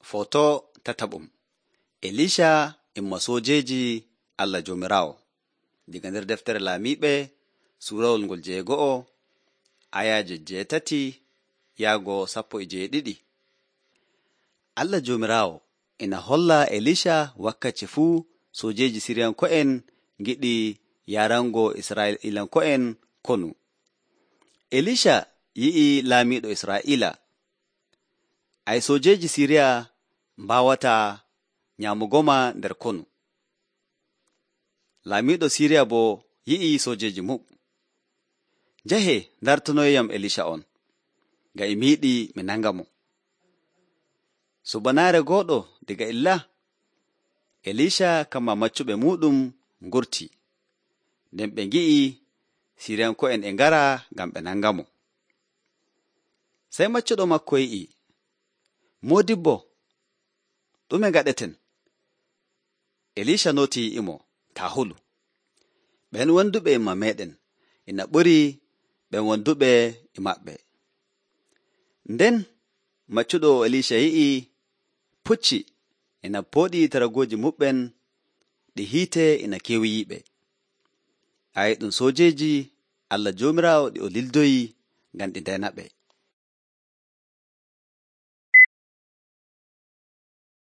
Foto tataɓum. Elisha imma soojeeji Allah Joomiraawo. Diga nder deftere Laamiiɓe suurawol ngol 6 ayaaje 8 yaago 12. Allah Joomiraawo ina holla Elisha wakkati fuu soojeeji Siriyanko'en ngiɗi yarango Israa'iilanko'en konu. Elisha yi'i laamiiɗo Israa'iila, ay soojeeji Siriya mbaawataa nyaamugoma nder konu. Laamiiɗo Siriya boo yi'i soojeeji mum. Njahe ndartanoyam Elisha on, ngam mi yiɗi mi nanga mo. Subanaare gooɗo diga illa, Elisha kamma maccuɓe muuɗum ngurti, nden ɓe ngi'i Siriyanko'en e ngara ngam ɓe nanga mo. Sey maccuɗo makko yi'i, Moodibbo, ɗume ngaɗeten? Elisha nooti yi'imo, taa hulu. Ɓen wonduɓe imma meeɗen ina ɓuri ɓen wonduɓe e maɓɓe. Nden maccuɗo Elisha yi'i pucci ina pooɗi taragooji muɓɓen ɗi hiite ina keewiyiɓe. Ɗum soojeeji Allah Joomiraawo ɗi o lildoyi ngam ɗi ndena ɓe.